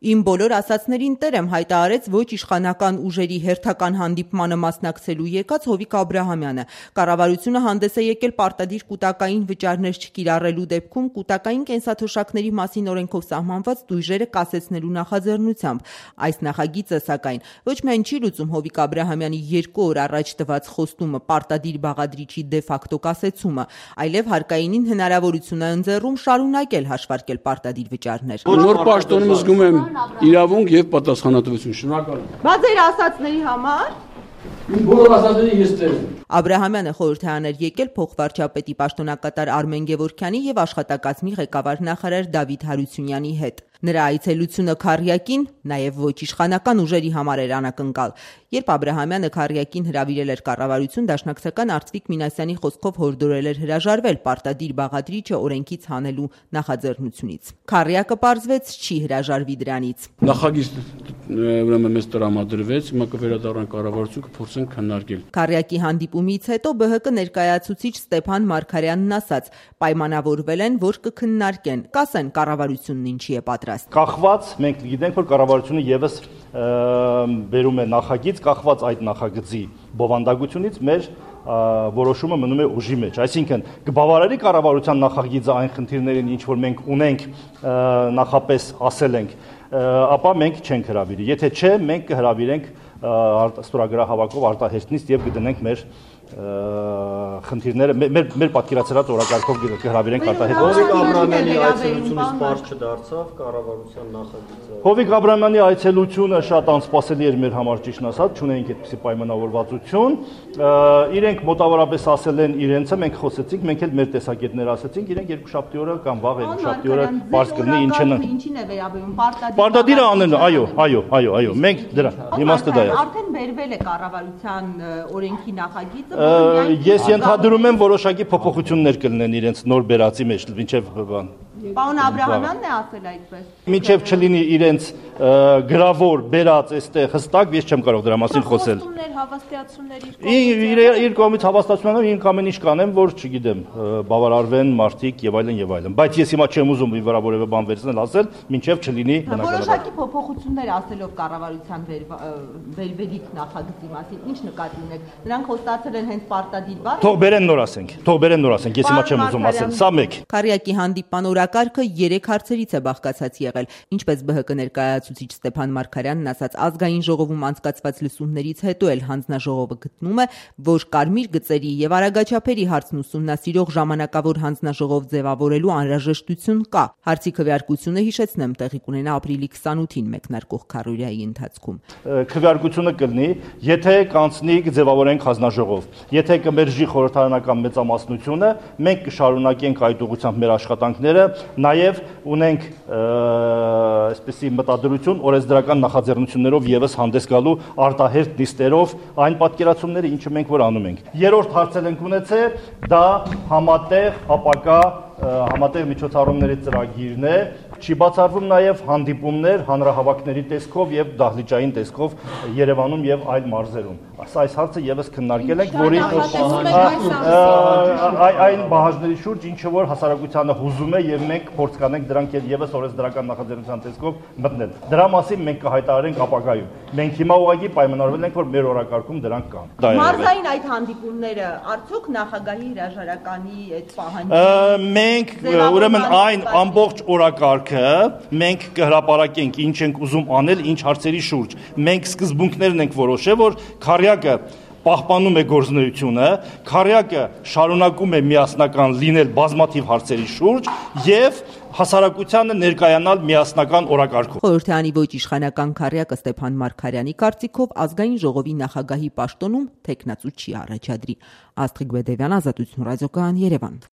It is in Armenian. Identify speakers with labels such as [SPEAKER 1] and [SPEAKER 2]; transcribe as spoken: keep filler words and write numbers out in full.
[SPEAKER 1] Իմ բոլոր ասածներին տեր եմ, հայտարարեց ոչ իշխանական ուժերի հերթական հանդիպմանը մասնակցելու եկած Հովիկ Աբրահամյանը։ Կառավարությունը հանդես է եկել պարտադիր կուտակային վճարներ չկիրառելու դեպքում կուտակային կենսաթոշակների մասին օրենքով սահմանված տույժերը կասեցնելու նախաձեռնությամբ։ Այս նախագիծը, սակայն, ոչ միայն չի լուծում Հովիկ Աբրահամյանի երկու օր առաջ տված խոստումը պարտադիր բաղադրիչի դե ֆակտո կասեցումը, այլև հարկայինին հնարավորություն է ընձեռում շարունակել հաշվարկել պարտադիր վճարներ։
[SPEAKER 2] Նոր պաշտոնում զգում եմ իրավունք եւ պատասխանատվություն։ Շնորհակալ եմ։
[SPEAKER 1] Բաց ձեր ասածների համար
[SPEAKER 2] Բոլոր ասածների ես տեր եմ։
[SPEAKER 1] Աբրահամյանը խորհրդ է անել եկել փոխվարչապետի պաշտոնակատար Արմեն Գևորգյանի եւ աշխատակազմի ղեկավար նախարար Դավիթ Հարությունյանի հետ։ Նրա այցելությունը Քառյակին նաև ոչ իշխանական ուժերի համար էր անակնկալ։ Երբ Աբրահամյանը Քառյակին հրավիրել էր կառավարություն, դաշնակցական Արծվիկ Մինասյանի խոսքով հորդորել էր հրաժարվել պարտադիր բաղադրիչը օրենքից հանելու նախաձեռնությունից։ Քառյակը պարզվեց չի հրաժարվի դրանից։
[SPEAKER 2] Նախագիծ ուրեմն մեզ տրամադրվեց, հիմա կվերադառնանք կառավարություն կփորձենք քննարկել։
[SPEAKER 1] Քառյակի հանդիպումից հետո Բ Հ Կ ներկայացուցիչ Ստեփան Մարգարյանն ասաց, պայմանավորվել են, որ կքննարկեն, կասեն կառավարությունն ինչի է պատրաստ։
[SPEAKER 3] Կախված մենք գիտենք, որ կառավարությունը եւս բերում է նախագիծ, կախված այդ նախագծի բովանդակությունից մեր որոշումը մնում է ուժի մեջ, այսինքն կբավարարի կառավարության նախագիծը այն խնդիրներին, ինչ որ մենք ունենք, նախապես ասել ենք, ապա մենք չենք հրավիրի։ Եթե չէ, մենք կհրավիրենք ստորագրահավաքով արտահերտնից եւ կդնենք մեր խնդիրները մեր մեր պատկերացրած օրակարգով կհրավիրենք արտահերտ։
[SPEAKER 4] Հովիկ Աբրահամյանի այցելությունից պարզ չդարձավ կառավարության նախագիծը։
[SPEAKER 3] Հովիկ Աբրահամյանի այցելությունը շատ անսպասելի էր մեր համար, ճիշտն ասած, չունեինք այդպիսի պայմանավորվածություն։ Իրենք մոտավորապես ասել են իրենցը, մենք խոսեցինք, մենք էլ մեր տեսակետները ասեցինք, իրենք երկուշաբթի օրը կամ վաղ երկուշաբթի օրը պարզ կլինի ինչն է։
[SPEAKER 1] Ինչին է վերաբերում պարտադիր։
[SPEAKER 3] Պարտադիրը անեն, այո, այո, այո, այո, մենք դրա իմաստը դա է։
[SPEAKER 1] Արդեն բերվել է կառավարության օրենքի նախագիծը։
[SPEAKER 3] Ես ենթադրում եմ որոշակի փոփոխություններ կլինեն իրենց նոր բերածի մեջ, մինչև բան։
[SPEAKER 1] Պարոն Աբրահամյանն է ասել այդպես։
[SPEAKER 3] Մինչև չլինի իրենց գրավոր բերած այստեղ հստակ, ես չեմ կարող դրա մասին խոսել։ Իր կողմից հավաստիացումներ, ինք ամեն ինչ կանեմ, որ չգիտեմ, բավարարվեն մարդիկ եւ այլն եւ այլն։ Բայց ես հիմա չեմ ուզում վրա որևէ բան վերցնել ասել, մինչև չլինի բնականաբար։
[SPEAKER 1] Որոշակի փոփոխություններ ասելով կառավարության վերվելիք նախագծի մասին, ինչ նկատի ունեք։ Նրանք խոստացել են հենց պարտադիր բառը։
[SPEAKER 3] Թող բերեն նոր ասենք, թող բերեն նոր ասենք, ես հիմա չեմ ուզում ասել, սա մեկ։
[SPEAKER 1] Քառյակի հանդիպման օրակարգը երեք հարցերից է բաղկացած եղել, ինչպես Բ Հ Կ ներկայացուցիչ Ստեփան Մարգարյանն ասաց, ազգային ժողովում անցկացված լսումներից հետո էլ հանձնաժողովը գտնում է, որ կարմիր գծերի եւ արագաչափերի հարցն ուսումնասիրող ժամանակավոր հանձնաժողով ձևավորելու անհրաժեշտություն կա։ Հարցի քվեարկությունը, հիշեցնեմ, տեղի կունենա ապրիլի քսանութին մեկնարկող քառօրյայի ընթացքում։
[SPEAKER 3] Քվեարկությունը կլինի, եթե կանցնի ձևավորենք հանձնաժողով, եթե կմերժի խորհրդարանական մեծամասնությունը, մենք կշարունակենք այդ ուղղությամբ մեր աշխատանքները, նաեւ ունենք այսպիսի մտադրություն օրենսդրական նախաձեռնություններով եւս հանդես գալու արտահերտ նիստերով այն պատկերացումները, ինչը մենք որ անում ենք։ Երրորդ հարցել ենք ունեցել, դա համատեղ ապակա համատեղ միջոցառումների ծրագիրն է, չի բացառվում նաև հանդիպումներ հանրահավաքների տեսքով եւ դահլիճային տեսքով Երևանում եւ այլ մարզերում։ Այս հարցը եւս քննարկել ենք, որի այն բաժների շուրջ, ինչը որ հասարակությանը հուզում է եւ մենք փորձ կանենք դրանք եւս օրենսդրական նախաձեռնության տեսքով մտնել։ Դրա մասին մենք կհայտարարենք ապագայում։ Մենք հիմա ուղղակի պայմանավորվել ենք, որ մեր օրակարգում դրանք կան։
[SPEAKER 1] Մարզային այդ հանդիպումները արդյոք նախագահի հրաժարականի այդ պահանջը։
[SPEAKER 3] Մենք ուրեմն այն ամբողջ օրակարգը մենք կհրապարակենք ինչ ենք ուզում անել, ինչ հարցերի շուրջ։ Մենք սկզբունքներն ենք որոշել, որ Քառյակը պահպանում է գործունեությունը, Քառյակը շարունակում է միասնական լինել բազմաթիվ հարցերի շուրջ եւ հասարակությանը ներկայանալ միասնական օրակարգով։
[SPEAKER 1] Խորհրդարանի ոչ իշխանական Քառյակը Ստեփան Մարգարյանի կարծիքով ազգային ժողովի նախագահի պաշտոնում թեկնածու չի առաջադրի։ Աստղիկ Բեդևյան, Ազատություն ռադիոկայան, Երևան։